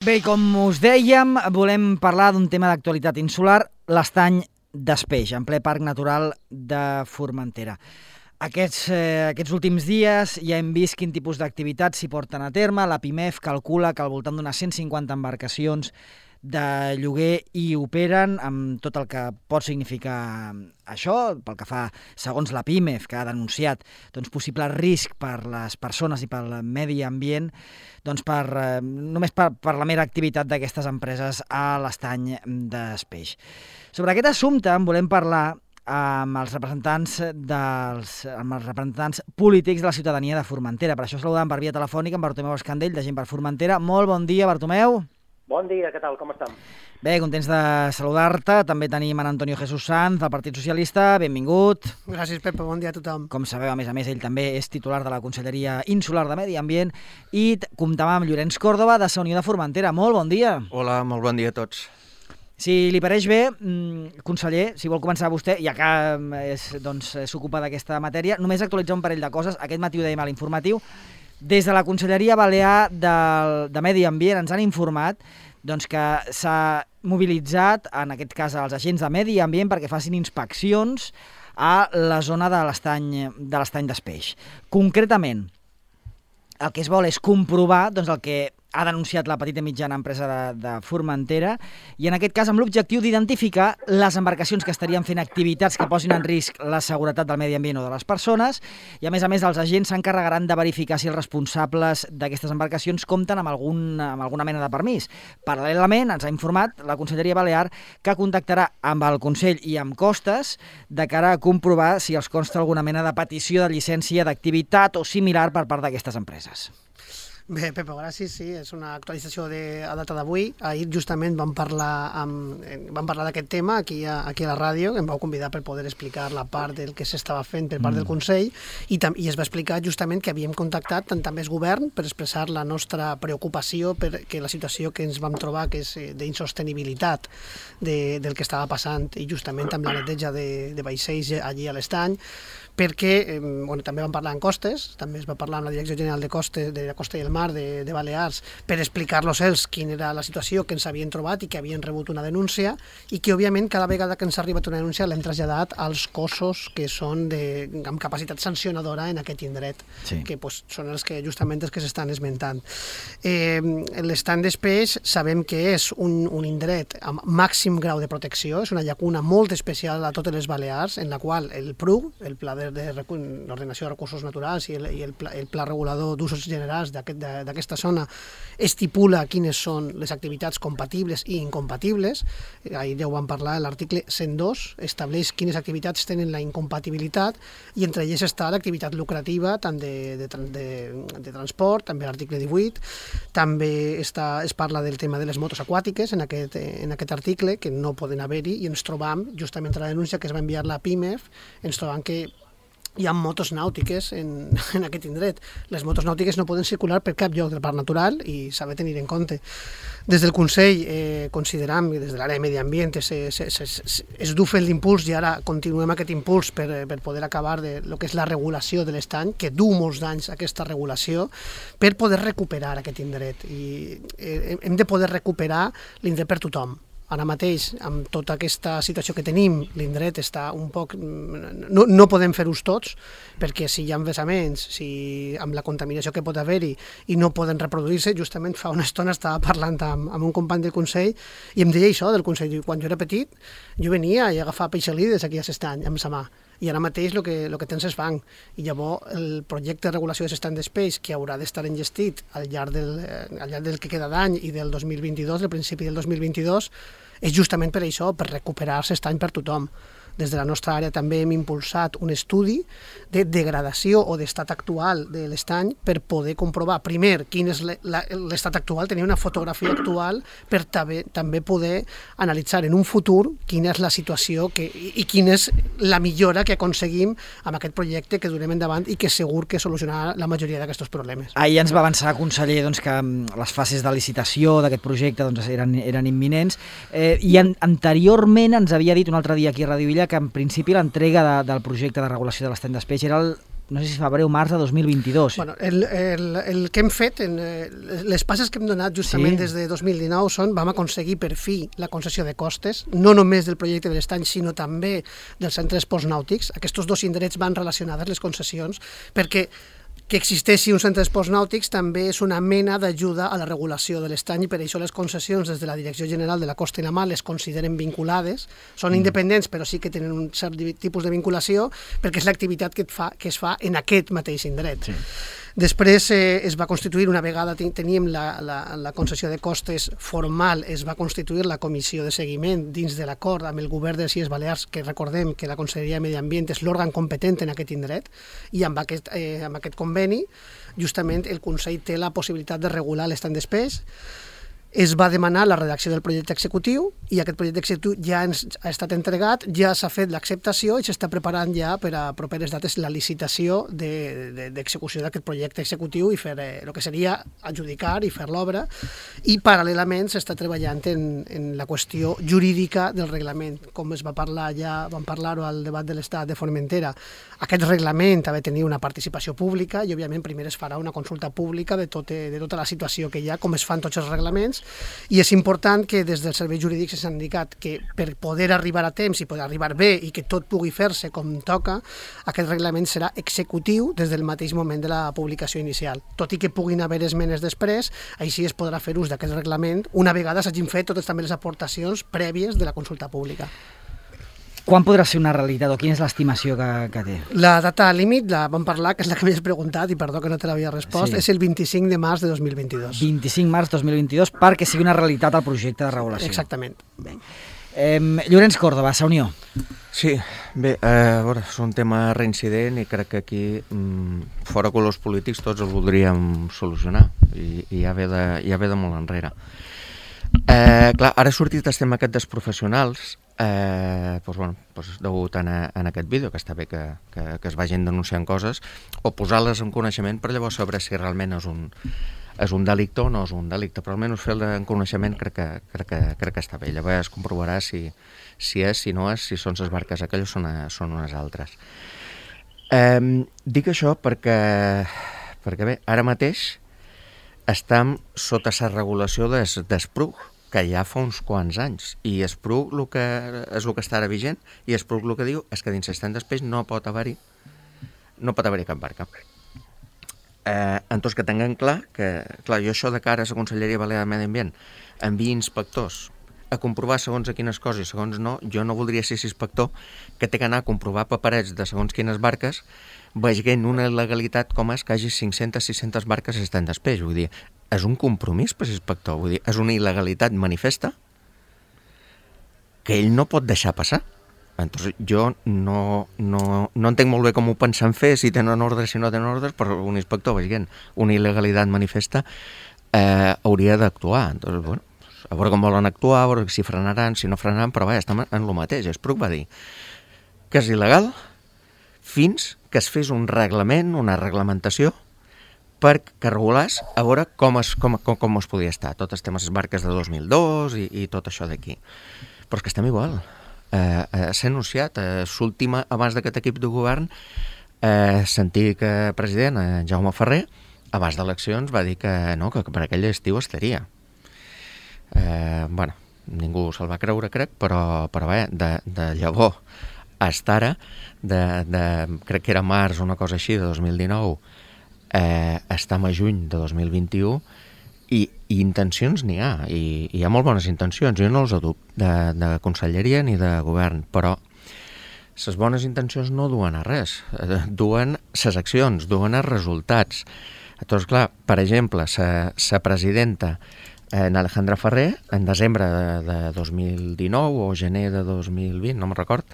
Bé, com us dèiem, volem parlar d'un tema d'actualitat insular, l'estany d'Espeix, en ple Parc Natural de Formentera. Aquests últims dies ja hem vist quin tipus d'activitats s'hi porten a terme. La PIMEF calcula que al voltant d'unes 150 embarcacions de lloguer hi operen, amb tot el que pot significar això, pel que fa, segons la PIMEF, que ha denunciat possible risc per les persones i pel medi ambient, només per la mera activitat d'aquestes empreses a l'estany d'Espeix. Sobre aquest assumpte en volem parlar amb els representants polítics de la ciutadania de Formentera. Per això saludem per via telefònica amb Bartomeu Escandell, de Gent per Formentera. Molt bon dia, Bartomeu. Bon dia, què tal? Com estem? Bé, contents de saludar-te. També tenim en Antonio Jesús Sanz, del Partit Socialista. Benvingut. Gràcies, Pepe. Bon dia a tothom. Com sabeu, a més, ell també és titular de la Conselleria Insular de Medi Ambient. I comptem amb Llorenç Còrdova, de Sa Unió de Formentera. Molt bon dia. Hola, molt bon dia a tots. Si li pareix bé, conseller, si vol començar vostè, ja que s'ocupa d'aquesta matèria, només actualitzar un parell de coses. Aquest matí ho dèiem a l'informatiu. Des de la Conselleria Balear de Medi Ambient ens han informat que s'ha mobilitzat, en aquest cas, els agents de Medi Ambient perquè facin inspeccions a la zona de l'estany d'Espeix. Concretament, el que es vol és comprovar el que ha denunciat la petita i mitjana empresa de Formentera i en aquest cas amb l'objectiu d'identificar les embarcacions que estarien fent activitats que posin en risc la seguretat del medi ambient o de les persones i a més els agents s'encarregaran de verificar si els responsables d'aquestes embarcacions compten amb alguna mena de permís. Paral·lelament ens ha informat la Conselleria Balear que contactarà amb el Consell i amb Costes de cara a comprovar si els consta alguna mena de petició de llicència d'activitat o similar per part d'aquestes empreses. Bé, Pepe, gràcies. Sí, és una actualització a data d'avui. Ahir justament vam parlar d'aquest tema aquí a la ràdio, em vau convidar per poder explicar la part del que s'estava fent per part del Consell i es va explicar justament que havíem contactat també el govern per expressar la nostra preocupació perquè la situació que ens vam trobar, que és d'insostenibilitat del que estava passant i justament amb la neteja de vaixells allí a l'estany, perquè també vam parlar amb Costes, també es va parlar amb la Direcció General de la Costa i el Mar de Balears per explicar-los ells quina era la situació que ens havien trobat i que havien rebut una denúncia i que, òbviament, cada vegada que ens ha arribat una denúncia l'hem traslladat als cossos que són amb capacitat sancionadora en aquest indret, que són els que justament els que s'estan esmentant. L'estany d'Espeix sabem que és un indret amb màxim grau de protecció, és una llacuna molt especial a totes les Balears, en la qual el PRU, el Pla l'Ordenació de Recursos Naturals i el Pla Regulador d'Usos Generals d'aquesta zona estipula quines són les activitats compatibles i incompatibles. Ahir ja ho vam parlar, l'article 102 estableix quines activitats tenen la incompatibilitat i entre elles està l'activitat lucrativa tant de transport, també l'article 18, també es parla del tema de les motos aquàtiques en aquest article, que no poden haver-hi, i ens trobam, justament a la denúncia que es va enviar la PIMEF, ens trobam que hi ha motos nàutiques en aquest indret. Les motos nàutiques no poden circular per cap lloc del parc natural i s'ha de tenir en compte. Des del Consell consideram, des de l'àrea de Medi Ambient, es du fent l'impuls i ara continuem aquest impuls per poder acabar de lo que és la regulació de l'estany, que du molts d'anys aquesta regulació, per poder recuperar aquest indret. I hem de poder recuperar l'indret per tothom. Ara mateix, amb tota aquesta situació que tenim, l'indret està un poc... No podem fer-ho tots, perquè si hi ha vessaments, amb la contaminació que pot haver-hi i no poden reproduir-se, justament fa una estona estava parlant amb un company del Consell i em deia això del Consell. Quan jo era petit, jo venia i agafava peixalides aquí a l'estany, amb sa mà. I ara mateix el que tens és fang. I llavors el projecte de regulació de l'estany d'Espeix, que haurà d'estar enllestit al llarg del que queda d'any i del 2022, al principi del 2022, és justament per això, per recuperar l'estany per tothom. Des de la nostra àrea també hem impulsat un estudi de degradació o d'estat actual de l'estany per poder comprovar, primer, quin és l'estat actual, tenir una fotografia actual per també poder analitzar en un futur quina és la situació i quina és la millora que aconseguim amb aquest projecte que durem endavant i que segur que solucionarà la majoria d'aquests problemes. Ahir ens va avançar, conseller, que les fases de licitació d'aquest projecte eren imminents i anteriorment ens havia dit un altre dia aquí a Ràdio Illa que en principi l'entrega del projecte de regulació de l'estany d'Espeix era no sé si febrer o març de 2022. Bueno, el que hem fet, les passes que hem donat justament des de 2019 són, vam aconseguir per fi la concessió de costes, no només del projecte de l'estany, sinó també dels centres postnàutics. Aquests dos indrets van relacionades les concessions, perquè que existeixi un centre d'esports nàutics també és una mena d'ajuda a la regulació de l'estany i per això les concessions des de la Direcció General de la Costa i la Mar les consideren vinculades, són independents però sí que tenen un cert tipus de vinculació perquè és l'activitat que es fa en aquest mateix indret. Sí. Després es va constituir, una vegada teníem la concessió de costes formal, es va constituir la comissió de seguiment dins de l'acord amb el govern de les Illes Balears, que recordem que la Conselleria de Medi Ambient és l'òrgan competent en aquest indret, i amb aquest conveni justament el Consell té la possibilitat de regular l'estany d'espès. Es va demanar la redacció del projecte executiu i aquest projecte executiu ja ha estat entregat, ja s'ha fet l'acceptació i s'està preparant ja per a properes dates la licitació d'execució d'aquest projecte executiu i fer el que seria adjudicar i fer l'obra, i paral·lelament s'està treballant en la qüestió jurídica del reglament, com es va parlar ja, vam parlar-ho al debat de l'Estat de Formentera. Aquest reglament ha de tenir una participació pública i òbviament primer es farà una consulta pública de tota la situació que hi ha, com es fan tots els reglaments. I és important que des dels serveis jurídics s'ha indicat que per poder arribar a temps i poder arribar bé i que tot pugui fer-se com toca, aquest reglament serà executiu des del mateix moment de la publicació inicial. Tot i que puguin haver esmenes després, així es podrà fer ús d'aquest reglament una vegada s'hagin fet totes també les aportacions prèvies de la consulta pública. Quan podrà ser una realitat o quina és l'estimació que té? La data límit, la vam parlar, que és la que m'has preguntat i perdó que no te l'havia respost, és el 25 de març de 2022. 25 març 2022 perquè sigui una realitat el projecte de regulació. Exactament. Bé. Llorenç Córdoba, Sa Unió. Sí, bé, a veure, és un tema reincident i crec que aquí, fora colors polítics, tots el voldríem solucionar i ja ve de molt enrere. Clar, ara ha sortit el tema aquest dels professionals, degut en aquest vídeo, que està bé que es vagin denunciant coses, o posar-les en coneixement per llavors saber si realment és un delicte o no és un delicte, però almenys fer-lo en coneixement crec que està bé. Llavors es comprovarà si és, si no és, si són les barques aquelles o són unes altres. Dic això perquè bé, ara mateix estem sota la regulació d'Espruc, que ja fa uns quants anys, i Espruc és el que està ara vigent, i Espruc el que diu és que dins l'estany d'espès no pot haver-hi cap barca. Entonces que tinguem clar que, jo això de cara a la Conselleria Balear de Medi Ambient enviï inspectors a comprovar segons a quines coses i segons no, jo no voldria ser inspector que té que anar a comprovar paperets de segons quines barques veient una il·legalitat com és que hi hagi 500-600 barques a l'estany d'espès. Vull dir, és un compromís per l'inspector, vull dir, és una il·legalitat manifesta que ell no pot deixar passar. Entonces, jo no entenc molt bé com ho pensen fer, si tenen ordres, si no tenen ordres, però un inspector veient una il·legalitat manifesta hauria d'actuar. Entonces, bueno, a veure com volen actuar, a veure si frenaran, si no frenaran, però vaja, estem en el mateix. Espruc va dir que és il·legal fins que es fes un reglament, una reglamentació, perquè regulars a veure com es podia estar. Tots els temes, les barques de 2002 i tot això d'aquí. Però és que estem igual. S'ha anunciat, l'última, abans d'aquest equip de govern, l'antic president, Jaume Ferrer, abans d'eleccions va dir que no, que per aquell estiu estaria. Bueno, ningú se'l va creure, crec, però bé, de llavors fins ara, crec que era març o una cosa així, de 2019, estem a juny de 2021, i intencions n'hi ha, i hi ha molt bones intencions, jo no els dubto, de conselleria ni de govern, però les bones intencions no duen a res, duen les accions, duen els resultats. Llavors, clar, per exemple, la presidenta Alejandra Ferrer, en desembre de 2019 o gener de 2020, no me'n record,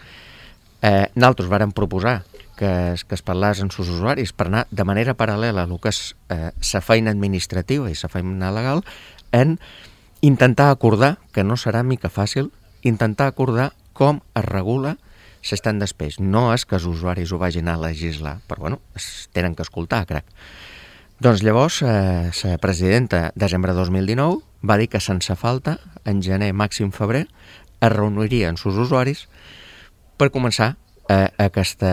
nosaltres vàrem proposar que es parlés amb els usuaris per anar de manera paral·lela a el que és la feina administrativa i la feina legal, en intentar acordar, que no serà mica fàcil, intentar acordar com es regula l'estany d'espès. No és que els usuaris ho vagin a legislar, però bueno, es tenen que escoltar, crec. Doncs llavors, la presidenta, desembre de 2019, va dir que sense falta, en gener, màxim febrer, es reuniria amb els usuaris per començar aquesta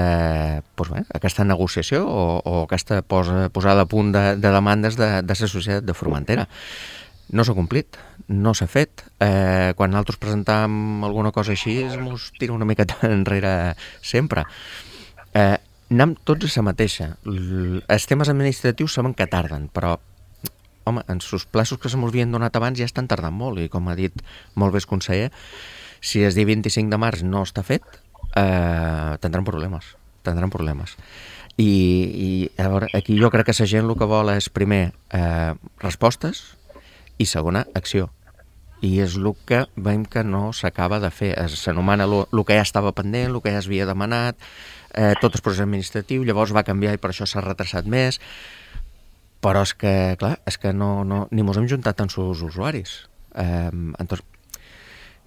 negociació o aquesta posada a punt de demandes de la societat de Formentera. No s'ha complit, no s'ha fet. Quan nosaltres presentàvem alguna cosa així, ens tira una miqueta enrere sempre. Anem tots a la mateixa. Els temes administratius saben que tarden, però home, en sus plaços que se mos havien donat abans ja estan tardant molt, i com ha dit molt bé el conseller, si el dia 25 de març no està fet, tindran problemes. I a veure, aquí jo crec que la gent el que vol és, primer, respostes, i segona, acció. I és el que veiem que no s'acaba de fer. S'anomena el que ja estava pendent, el que ja s'havia demanat, tot el procés administratiu, llavors va canviar i per això s'ha retrasat més, però és que, clar, ni mos hem juntat amb els usuaris. Entonces,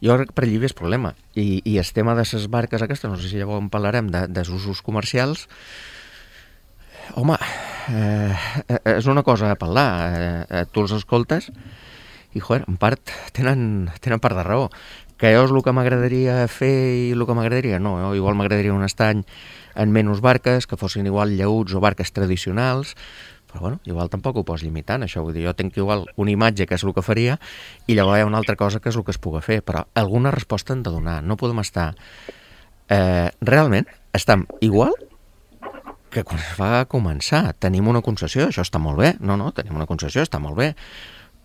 jo crec que per allí és problema. I el tema de les barques aquestes, no sé si llavors en parlarem, dels usos comercials, home, és una cosa a parlar. Tu els escoltes i, joder, en part tenen part de raó. Que jo és el que m'agradaria fer i el que m'agradaria no. Igual m'agradaria un estany en menys barques, que fossin igual llaüts o barques tradicionals, però bueno, igual tampoc ho pots limitar, això. Vull dir, jo tinc igual una imatge que és el que faria i llavors hi ha una altra cosa que és el que es pugui fer, però alguna resposta hem de donar. No podem estar... realment estem igual que quan es va començar. Tenim una concessió, això està molt bé. No, tenim una concessió, està molt bé.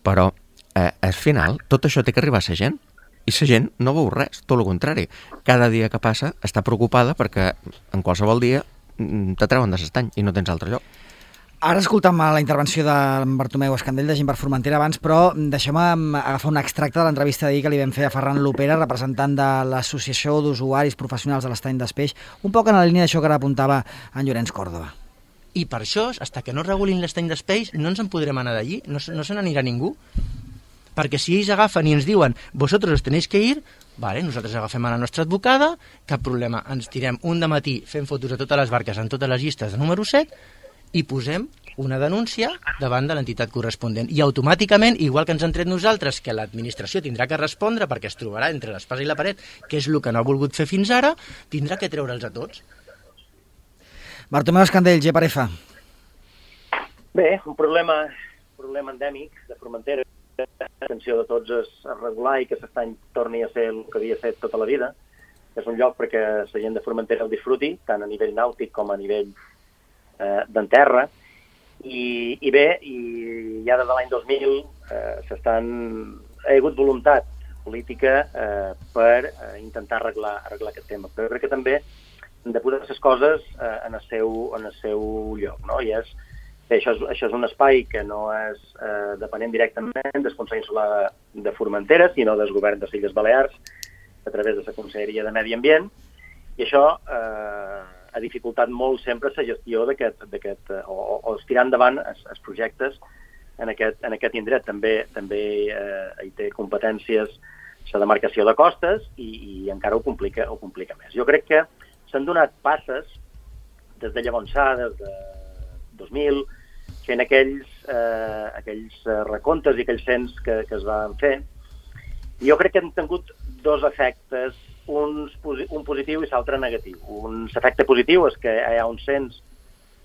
Però al final tot això té que arribar a la gent. I la gent no veu res, tot el contrari. Cada dia que passa està preocupada perquè en qualsevol dia te treuen de l'estany i no tens altre lloc. Ara escoltam la intervenció de Bartomeu Escandell de Gent per Formentera abans, però deixeu-me agafar un extracte de l'entrevista d'ahir que li vam fer a Ferran Lopera, representant de l'Associació d'Usuaris Professionals de l'Estany d'Espeix, un poc en la línia d'això que ara apuntava en Llorenç Còrdova. I per això, fins que no regulin l'estany d'Espeix, no ens en podrem anar d'allí, no se n'anirà ningú. Perquè si ells agafen i ens diuen «Vosotros os tenéis que ir», vale, nosaltres agafem a la nostra advocada, cap problema, ens tirem un dematí fent fotos a totes les barques en totes les llistes de número 7 i posem una denúncia davant de l'entitat corresponent. I automàticament, igual que ens han tret nosaltres, que l'administració tindrà que respondre perquè es trobarà entre l'espasa i la paret, que és el que no ha volgut fer fins ara, tindrà que treure'ls a tots. Bartomeu Escandell, GPRF. Bé, un problema endèmic de Formentera. L'atenció de tots és a regular i que l'estany torni a ser el que havia fet tota la vida. És un lloc perquè la gent de Formentera el disfruti, tant a nivell nàutic com a nivell d'enterra. I bé, ja des de l'any 2000 ha hagut voluntat política per intentar arreglar aquest tema. Però crec que també hem de posar les coses en el seu lloc, no? I això és un espai que no és depenent directament del Consell Insular de Formentera, sinó del govern de les Illes Balears, a través de la Conselleria de Medi Ambient, i això ha dificultat molt sempre la gestió o estirar endavant els projectes en aquest indret. També hi té competències la demarcació de costes i encara ho complica més. Jo crec que s'han donat passes des de llavors, des de 2000, fent aquells recomptes i aquells cens que es van fer. Jo crec que han tingut dos efectes, un positiu i l'altre negatiu. L'efecte positiu és que hi ha un cens,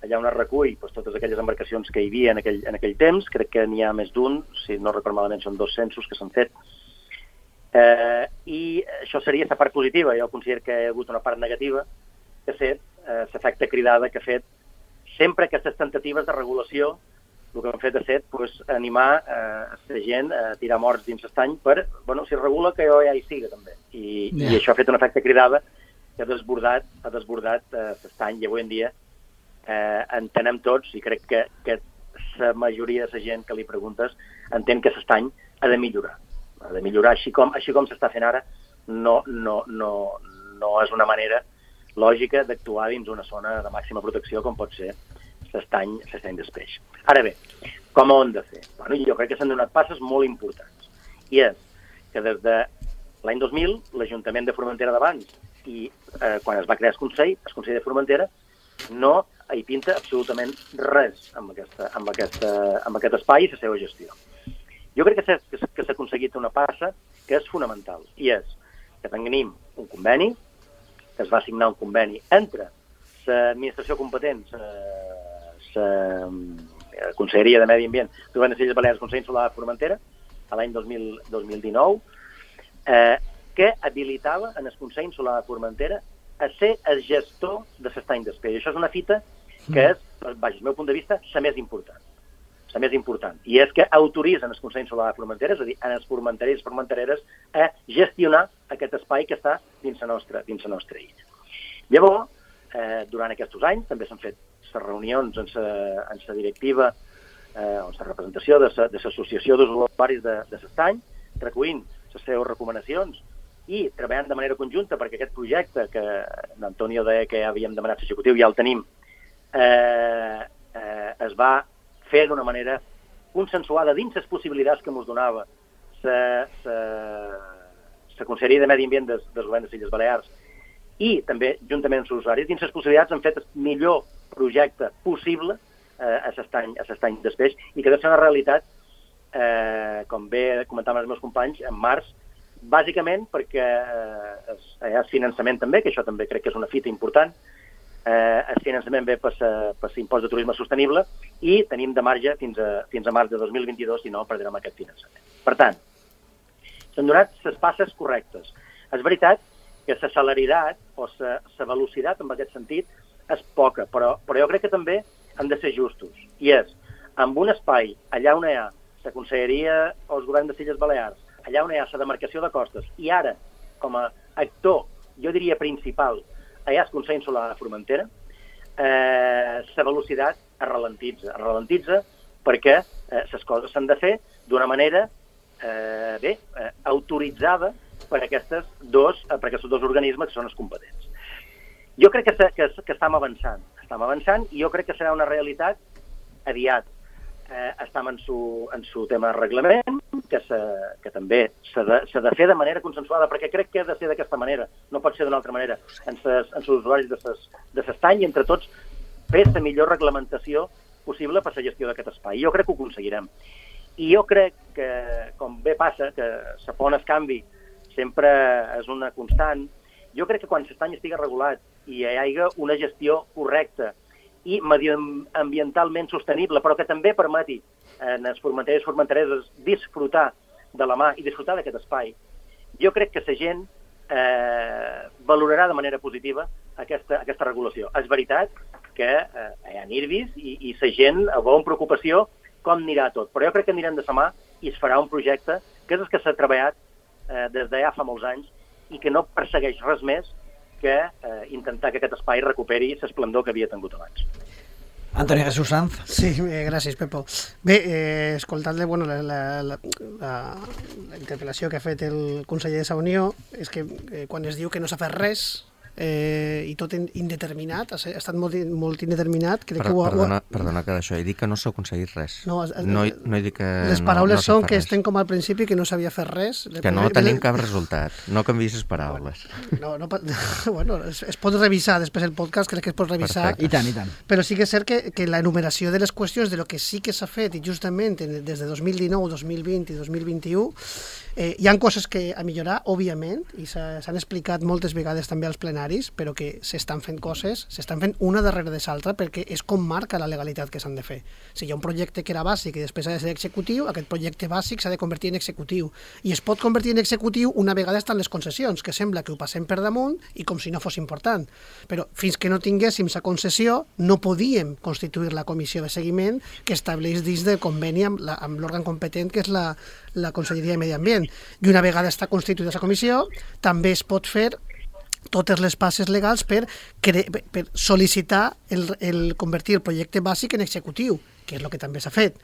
allà on es recull totes aquelles embarcacions que hi havia en aquell temps. Crec que n'hi ha més d'un, si no recordo malament, són 2 censos que s'han fet. I això seria la part positiva. Jo considero que hi ha hagut una part negativa, que ha fet l'efecte cridada que ha fet sempre aquestes tentatives de regulació. El que han fet és animar la gent a tirar morts dins l'estany per, si es regula, que jo ja hi siga també. I això ha fet un efecte cridada que ha desbordat l'estany, i avui en dia entenem tots, i crec que la majoria de la gent que li preguntes entén que l'estany ha de millorar. Ha de millorar, així com s'està fent ara, no és una manera lògica d'actuar dins una zona de màxima protecció com pot ser l'estany d'Espeix. Ara bé, com ho hem de fer? Jo crec que s'han donat passes molt importants. I és que des de l'any 2000, l'Ajuntament de Formentera d'abans i quan es va crear el Consell de Formentera, no hi pinta absolutament res amb aquest espai i la seva gestió. Jo crec que s'ha aconseguit una passa que és fonamental, i és que tenim un conveni que es va signar un conveni entre l'administració competent, la Conselleria de Medi Ambient del Govern de les Illes Balears, Consell Insular de Formentera, a l'any 2019, que habilitava en el Consell Insular de Formentera a ser el gestor de l'estany d'espès. I això és una fita que és, vaja, el meu punt de vista, la més important. La més important. I és que autoritzen el Consell Insular de Formentera, és a dir, en els formenterers i formentereres, a gestionar aquest espai que està dins la nostra illa. Llavors, durant aquests anys, també s'han fet les reunions en la directiva, en la representació de l'Associació d'Usuaris de l'Estany, recollint les seves recomanacions i treballant de manera conjunta perquè aquest projecte que l'Antonio deia que ja havíem demanat l'executiu, ja el tenim, es va fer d'una manera consensuada dins les possibilitats que ens donava la Conselleria de Medi Ambient del Govern de les Illes Balears i també, juntament amb els usuaris, dins les possibilitats han fet el millor projecte possible a l'estany d'espeix i que deu ser una realitat, com bé comentaven els meus companys, en març, bàsicament perquè hi ha finançament també, que això també crec que és una fita important, el finançament ve per l'impost de turisme sostenible i tenim de marge fins a març de 2022, si no perdrem aquest finançament. Per tant, s'han donat les passes correctes. És veritat que la celeritat o la velocitat en aquest sentit és poca, però jo crec que també han de ser justos. I és, amb un espai allà on hi ha la Conselleria o el Govern de les Illes Balears, allà on hi ha la demarcació de costes, i ara, com a actor, jo diria principal, allà el Consell Insular de Formentera, la velocitat es ralentitza perquè les coses s'han de fer d'una manera autoritzada per aquests dos organismes que són els competents. Jo crec que estem avançant i jo crec que serà una realitat aviat. Estem en su tema de reglament, que també s'ha de fer de manera consensuada, perquè crec que ha de ser d'aquesta manera, no pot ser d'una altra manera, en els usuaris de l'estany i entre tots fer la millor reglamentació possible per la gestió d'aquest espai. Jo crec que ho aconseguirem. I jo crec que, com bé passa, que la por al canvi sempre és una constant, jo crec que quan l'estany estigui regulat i hi hagi una gestió correcta i mediambientalment sostenible, però que també permeti en els formenteres i formentereses disfrutar de la mà i disfrutar d'aquest espai, jo crec que la gent valorarà de manera positiva aquesta regulació. És veritat que hi ha nervis i la gent veu amb preocupació com anirà tot, però jo crec que anirem de la mà i es farà un projecte que és el que s'ha treballat des de ja fa molts anys i que no persegueix res més que intentar que aquest espai recuperi l'esplendor que havia tingut abans. Antoni Jesús Sanz. Sí, gràcies, Pepo. Bé, escoltant-le, bueno, la interpel·lació que ha fet el conseller de la Unió és que quan es diu que no s'ha fet res i tot indeterminat, ha estat molt indeterminat. Perdona que d'això he dit que no s'ha aconseguit res. No he dit que les paraules són que estem com al principi, que no s'havia fet res. Que no tenim cap resultat, no canviïs les paraules. Bueno, es pot revisar després el podcast, crec que es pot revisar. I tant. Però sí que és cert que l'enumeració de les qüestions de lo que sí que s'ha fet, i justament des de 2019, 2020 i 2021, hi ha coses que a millorar, òbviament, i s'han explicat moltes vegades també als plenaris, però que s'estan fent coses, s'estan fent una darrere de l'altra, perquè és com marca la legalitat que s'han de fer. Si hi ha un projecte que era bàsic i després ha de ser executiu, aquest projecte bàsic s'ha de convertir en executiu. I es pot convertir en executiu una vegada estan les concessions, que sembla que ho passem per damunt i com si no fos important. Però fins que no tinguéssim la concessió, no podíem constituir la comissió de seguiment que estableix dins del conveni amb l'òrgan competent, que és la Conselleria de Medi Ambient. I una vegada està constituïda la comissió, també es pot fer totes les passes legals per sol·licitar el convertir el projecte bàsic en executiu, que és el que també s'ha fet.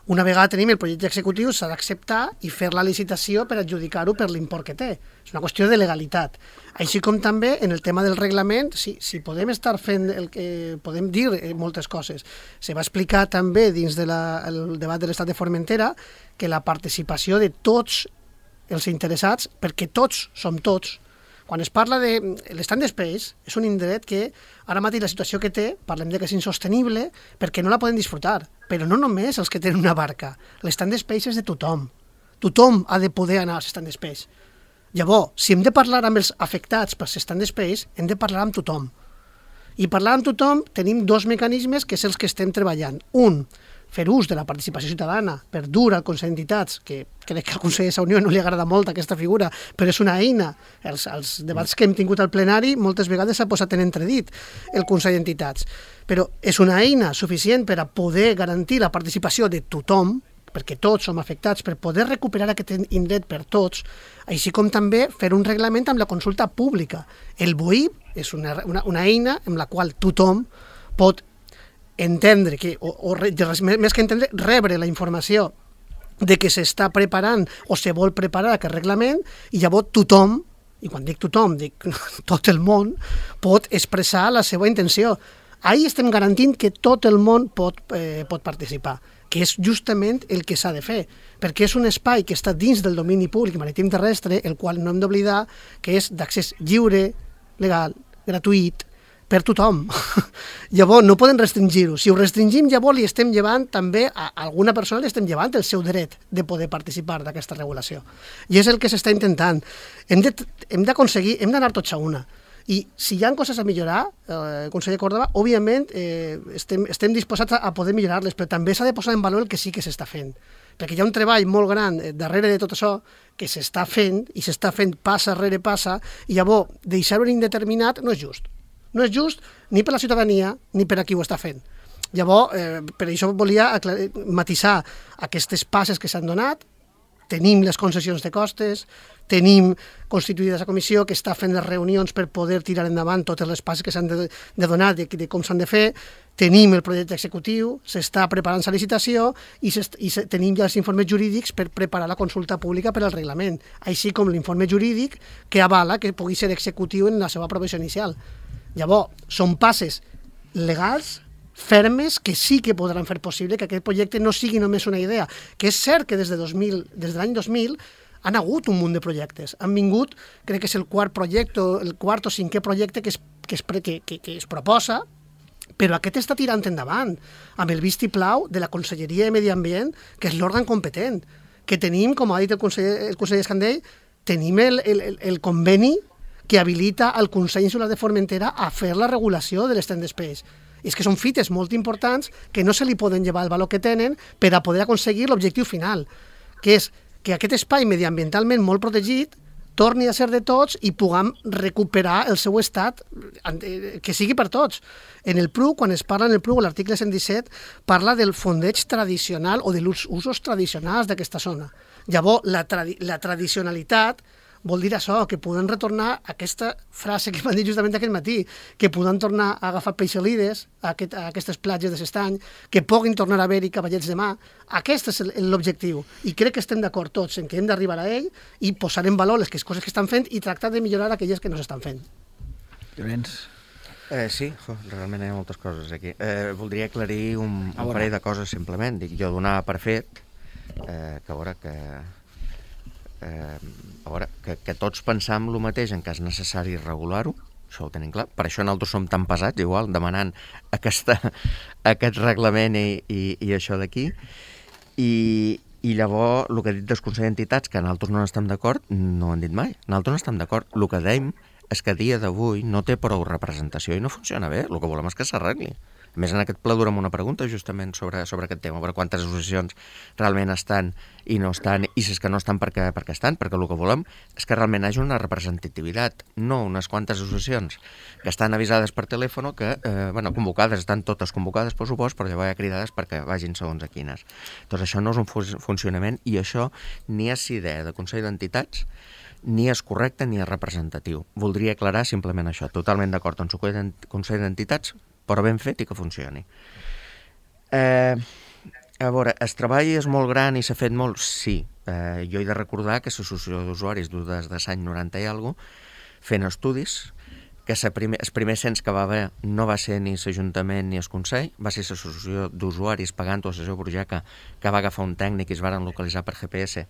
Una vegada tenim el projecte executiu, s'ha d'acceptar i fer la licitació per adjudicar-ho per l'import que té. És una qüestió de legalitat. Així com també en el tema del reglament, si podem estar fent el que podem dir moltes coses. Se va explicar també dins del debat de l'Estat de Formentera que la participació de tots els interessats, perquè tots som tots. Quan es parla de l'stand space, és un indret que ara mateix la situació que té, parlem de que és insostenible, perquè no la poden disfrutar. Però no només els que tenen una barca. L'stand space és de tothom. Tothom ha de poder anar a l'stand space. Llavors, si hem de parlar amb els afectats per stand space, hem de parlar amb tothom. I parlar amb tothom tenim dos mecanismes que és els que estem treballant. Un, fer ús de la participació ciutadana per dur al Consell d'Entitats, que crec que al conseller de Unió no li agrada molt aquesta figura, però és una eina. Els debats que hem tingut al plenari moltes vegades s'ha posat en entredit el Consell d'Entitats. Però és una eina suficient per a poder garantir la participació de tothom, perquè tots som afectats, per poder recuperar aquest indret per tots, així com també fer un reglament amb la consulta pública. El BOIP és una eina amb la qual tothom pot entendre, més que entendre, rebre la informació de que s'està preparant o se vol preparar aquest reglament, i llavors tothom, i quan dic tothom, dic tot el món, pot expressar la seva intenció. Ahí estem garantint que tot el món pot participar, que és justament el que s'ha de fer, perquè és un espai que està dins del domini públic marítim terrestre, el qual no hem d'oblidar que és d'accés lliure, legal, gratuït, per tothom. Llavors no poden restringir-ho. Si ho restringim, llavors li estem llevant també a alguna persona, li estem llevant el seu dret de poder participar d'aquesta regulació. I és el que s'està intentant. Hem d'aconseguir, hem d'anar tots a una. I si hi ha coses a millorar, conseller Córdoba, òbviament estem disposats a poder millorar-les, però també s'ha de posar en valor el que sí que s'està fent. Perquè hi ha un treball molt gran darrere de tot això que s'està fent, i s'està fent passa rere passa, i llavors deixar-ho en indeterminat no és just. No és just ni per la ciutadania ni per a qui ho està fent. Llavors, per això volia matisar aquestes passes que s'han donat. Tenim les concessions de costes, tenim constituïda la comissió que està fent les reunions per poder tirar endavant totes les passes que s'han de donar, de com s'han de fer, tenim el projecte executiu, s'està preparant la licitació i tenim ja els informes jurídics per preparar la consulta pública per al reglament, així com l'informe jurídic que avala que pugui ser executiu en la seva aprovació inicial. Llavors, són passes legals, fermes, que sí que podran fer possible que aquest projecte no sigui només una idea, que és cert que des de l'any 2000 han hagut un munt de projectes. Han vingut, crec que és el quart o cinquè projecte que es proposa, però aquest està tirant endavant, amb el vistiplau de la Conselleria de Medi Ambient, que és l'òrgan competent, que tenim, com ha dit el conseller Escandell, tenim el conveni que habilita el Consell Insular de Formentera a fer la regulació de l'stand space. I és que són fites molt importants que no se li poden llevar el valor que tenen per a poder aconseguir l'objectiu final, que és que aquest espai mediambientalment molt protegit torni a ser de tots i puguem recuperar el seu estat, que sigui per tots. En el PRU, quan es parla en el PRU, l'article 117, parla del fondeig tradicional o dels usos tradicionals d'aquesta zona. Llavors, la tradicionalitat vol dir això, que podem retornar a aquesta frase que m'han dit justament aquest matí, que podem tornar a agafar peixalides a aquestes platges de s'estany, que puguin tornar a haver-hi cavallets de mà. Aquest és l'objectiu. I crec que estem d'acord tots en que hem d'arribar a ell i posar en valor les coses que estan fent i tractar de millorar aquelles que no s'estan fent. Llorenç. Sí, realment hi ha moltes coses aquí. Voldria aclarir un parell de coses, simplement. Jo donava per fet que tots pensam el mateix en que és necessari regular-ho, això ho tenim clar, per això nosaltres som tan pesats, igual, demanant aquest reglament i això d'aquí, i llavors el que ha dit dels Consells d'Entitats, que nosaltres no estem d'acord, no ho han dit mai, nosaltres no estem d'acord, el que dèiem és que a dia d'avui no té prou representació i no funciona bé, el que volem és que s'arregli. A més, en aquest ple durem una pregunta justament sobre aquest tema, per quantes associacions realment estan i no estan, i si és que no estan perquè estan, perquè el que volem és que realment hi hagi una representativitat, no unes quantes associacions que estan avisades per telèfon, que, convocades, estan totes convocades, per supost, però llavors hi ha cridades perquè vagin segons a quines. Doncs això no és un funcionament, i això ni és idea de Consell d'Entitats, ni és correcte ni és representatiu. Voldria aclarar simplement això, totalment d'acord amb el Consell d'Entitats, però ben fet i que funcioni. A veure, el treball és molt gran i s'ha fet molt? Sí. Jo he de recordar que l'associació d'usuaris des de l'any 90 i alguna cosa, fent estudis, que el primer cens que va haver no va ser ni l'Ajuntament ni el Consell, va ser l'associació d'usuaris pagant-ho a la seva Brujaca, que va agafar un tècnic i es van localitzar per GPS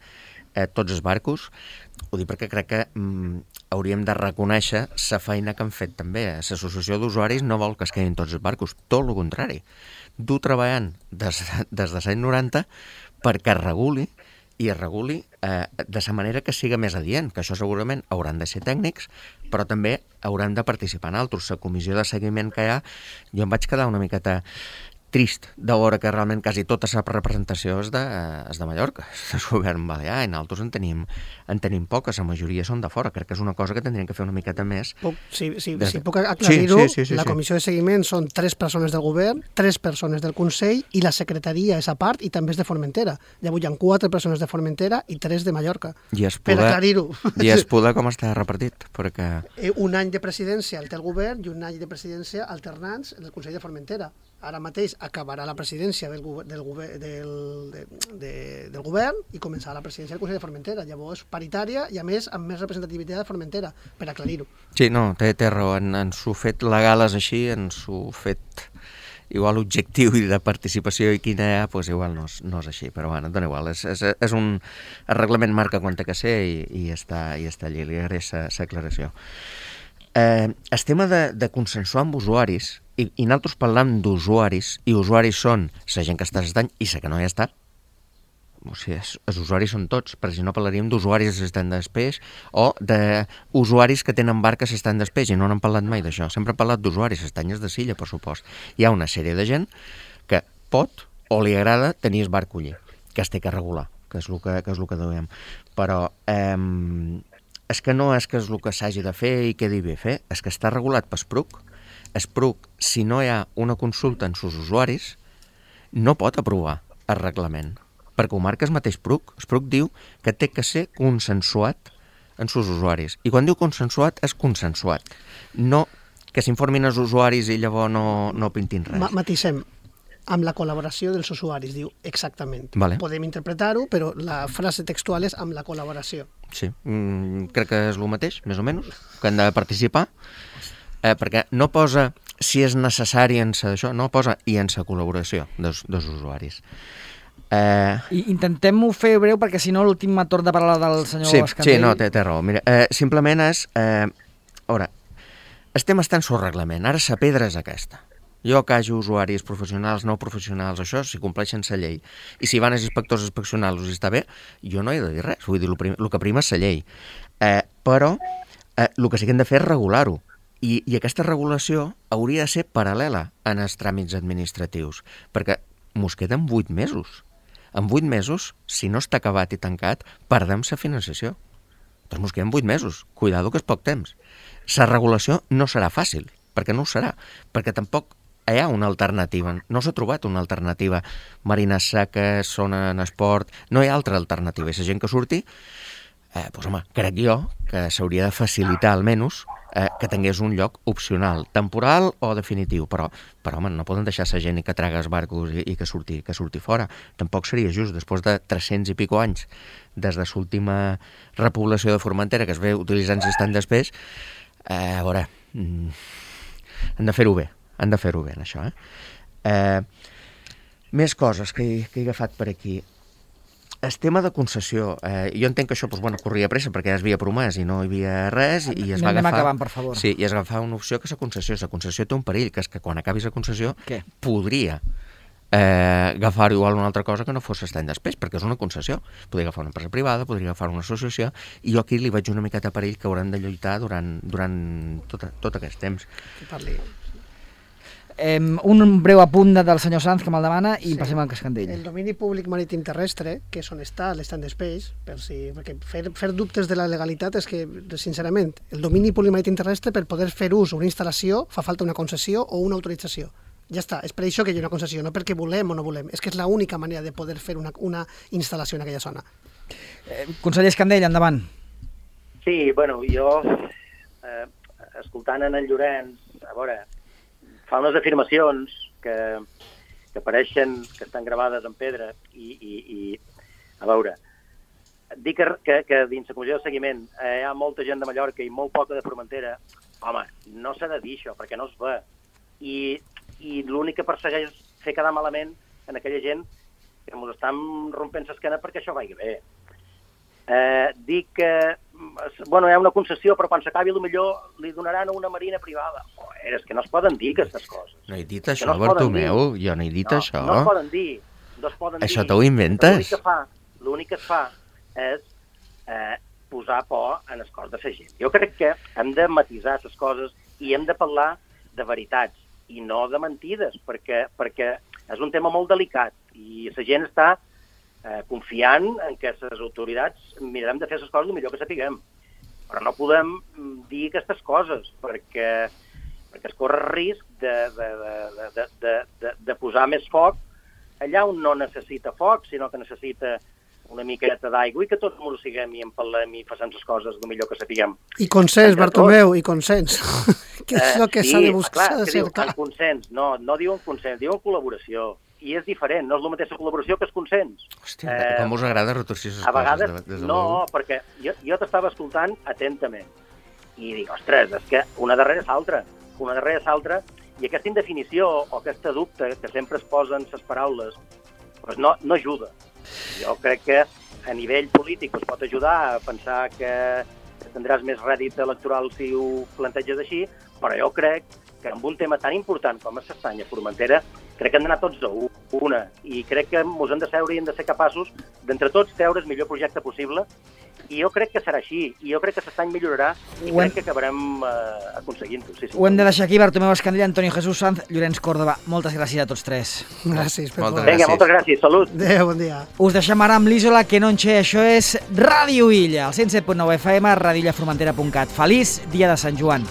tots els barcos. Ho dic perquè crec que hauríem de reconèixer la feina que han fet també. L'associació d'usuaris no vol que es quedin tots els barcos, tot el contrari. Du treballant des de l'any 90 perquè es reguli i es reguli de la manera que siga més adient, que això segurament hauran de ser tècnics, però també hauran de participar en altres. La comissió de seguiment que hi ha, jo em vaig quedar una miqueta trist de veure que realment quasi tota la representació és de Mallorca, és del govern balear, i nosaltres en tenim poques, la majoria són de fora. Crec que és una cosa que tindrien que fer una miqueta més. Si puc aclarir-ho, sí. la comissió de seguiment són 3 persones del govern, 3 persones del Consell, i la secretaria és a part i també és de Formentera. Llavors hi ha 4 persones de Formentera i 3 de Mallorca. Per aclarir-ho. I Espuda com està repartit? Perquè... Un any de presidència el té el govern i un any de presidència alternants en el Consell de Formentera. Ara mateix acabarà la presidència del govern i començarà la presidència del Consell de Formentera. Llavors, paritària i, a més, amb més representativitat de Formentera, per aclarir-ho. Sí, no, té raó. Ens ho fet legales així, ens ho fet igual objectiu i de participació i quina hi ha, doncs igual no és així. Però bueno, dona igual. És un... El reglament marca quan té que ser i està allí. Li agraeix l'aclaració. El tema de consensuar amb usuaris, i nosaltres parlam d'usuaris, i usuaris són la gent que està assistant i la que no hi està. O sigui, els usuaris són tots, perquè si no parlaríem d'usuaris que s'estan després o d'usuaris que tenen bar que s'estan després, i no n'hem parlat mai d'això. Sempre hem parlat d'usuaris, estanyes de Silla, per supost. Hi ha una sèrie de gent que pot o li agrada tenir el bar collir, que es té que regular, que és el que dèiem. Però és que no és que és el que s'hagi de fer i quedi bé fer, és que està regulat per SPRUC. SPRUC, si no hi ha una consulta en sus usuaris, no pot aprovar el reglament, perquè ho marca el mateix SPRUC. SPRUC diu que té que ser consensuat en sus usuaris, i quan diu consensuat, és consensuat. No que s'informin els usuaris i llavors no pintin res. Matisem, amb la col·laboració dels usuaris, diu exactament. Vale. Podem interpretar-ho, però la frase textual és amb la col·laboració. Sí, crec que és el mateix, més o menys, que han de participar, perquè no posa si és necessari en això, no posa i en la col·laboració dels usuaris. I intentem-ho fer breu, perquè si no l'últim torn de parlar del senyor Escandell... Sí, no, té raó. Mira, simplement és... A veure, estem estant sobre reglament. Ara la pedra és aquesta. Jo que hagi usuaris professionals, no professionals, això, si compleixen la llei, i si van els inspectors inspeccionals i està bé, jo no he de dir res. Vull dir, el que prima és la llei. Però el que sí que hem de fer és regular-ho. I aquesta regulació hauria de ser paral·lela en els tràmits administratius, perquè mos queden 8 mesos. En 8 mesos, si no està acabat i tancat, perdem la financiació. Doncs mos queden 8 mesos. Cuidado que és poc temps. La regulació no serà fàcil, perquè no ho serà, perquè tampoc hi ha una alternativa. No s'ha trobat una alternativa. Marines seques, zona en esport... No hi ha altra alternativa. I la gent que surti, doncs home, crec jo que s'hauria de facilitar almenys que tingués un lloc opcional, temporal o definitiu, però home, no poden deixar la gent que traga els barcos i que surti fora. Tampoc seria just, després de 300 i pico anys des de l'última repoblació de Formentera, que es ve utilitzant l'estat després, a veure, han de fer-ho bé, en això. Més coses que he agafat per aquí. El tema de concessió, jo entenc que això corria pressa perquè ja es havia promès i no hi havia res i es va agafar... Anem acabant, per favor. Sí, i es va agafar una opció que és la concessió. La concessió té un perill, que és que quan acabis la concessió podria agafar igual una altra cosa que no fos l'estany després, perquè és una concessió. Podria agafar una empresa privada, podria agafar una associació, i jo aquí li vaig una miqueta perill que hauran de lluitar durant tot aquest temps. Un breu apunt del senyor Sanz, que me'l demana, i passem al Cascandell. El domini públic marítim terrestre, que és on està l'stand space, perquè fer dubtes de la legalitat és que, sincerament, el domini públic marítim terrestre, per poder fer ús o una instal·lació, fa falta una concessió o una autorització. Ja està, és per això que hi ha una concessió, no perquè volem o no volem, és que és l'única manera de poder fer una instal·lació en aquella zona. Conseller Escandell, endavant. Sí, bueno, jo, escoltant en Llorenç, a veure, fa unes afirmacions que pareixen que estan gravades en pedra i a veure, dic que dins la comissió de seguiment hi ha molta gent de Mallorca i molt poca de Formentera. Home, no s'ha de dir això, perquè no es ve. I l'únic que persegueix és fer quedar malament en aquella gent que ens estan rompent l'esquena perquè això vagi bé. Dic que hi ha una concessió, però quan s'acabi potser li donaran a una marina privada. Joder, és que no es poden dir aquestes coses. No he dit això, Bartomeu, jo no he dit això. No es poden dir. Això t'ho inventes? l'únic que es fa és posar por en el cos de la gent. Jo crec que hem de matisar les coses i hem de parlar de veritats i no de mentides, perquè és un tema molt delicat i la gent està confiant en que les autoritats mirarem de fer les coses el millor que sapiguem. Però no podem dir aquestes coses, perquè es corre el risc de posar més foc allà on no necessita foc, sinó que necessita una miqueta d'aigua i que tots ens siguem i en parlem i facem les coses el millor que sapiguem. I consens, Bartomeu, i consens. Que és el que s'ha de buscar, s'ha de cercar. Diu, consens, no diuen consens, diuen col·laboració. I és diferent, no és la mateixa col·laboració que el consens. Hòstia, com us agrada retorcir les coses. A vegades, no, perquè jo t'estava escoltant atentament i dic, ostres, és que una darrere l'altra, i aquesta indefinició o aquesta dubte que sempre es posen les paraules doncs no ajuda. Jo crec que a nivell polític es pot ajudar a pensar que tindràs més rèdit electoral si ho planteges així, però jo crec que en un tema tan important com és l'estany a Formentera, crec que hem d'anar tots a una, i crec que ens hem de seure i hem de ser capaços d'entre tots treure el millor projecte possible, i jo crec que serà així, i jo crec que l'estany millorarà i crec que acabarem aconseguint-ho. Sí. Ho hem de deixar aquí. Bartomeu Escandell, Antonio Jesús Sanz, Llorenç Córdoba. Moltes gràcies a tots tres. Gràcies, Pepo. Vinga, moltes gràcies. Salut. Adéu, bon dia. Us deixem ara amb l'Isola que no enxe. Això és Ràdio Illa, al 107.9 FM, radioillaformentera.cat. Feliç dia de Sant Joan.